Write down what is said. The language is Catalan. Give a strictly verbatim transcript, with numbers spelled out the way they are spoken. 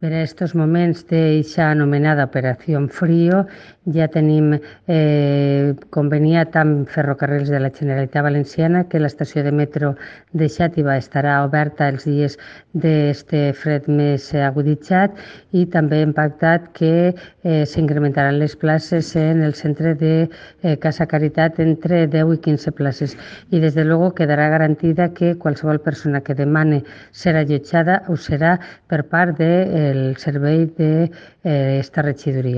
Per a aquests moments d'eixa anomenada Operació Frío ja tenim eh, conveniat amb Ferrocarrils de la Generalitat Valenciana que l'estació de metro de Xàtiva estarà oberta els dies d'aquest fred més aguditzat i també hem pactat que eh, s'incrementaran les places en el centre de eh, Casa Caritat entre deu i quinze places i des de luego quedarà garantida que qualsevol persona que demane ser allotjada ho serà per part del servei d'esta regidoria.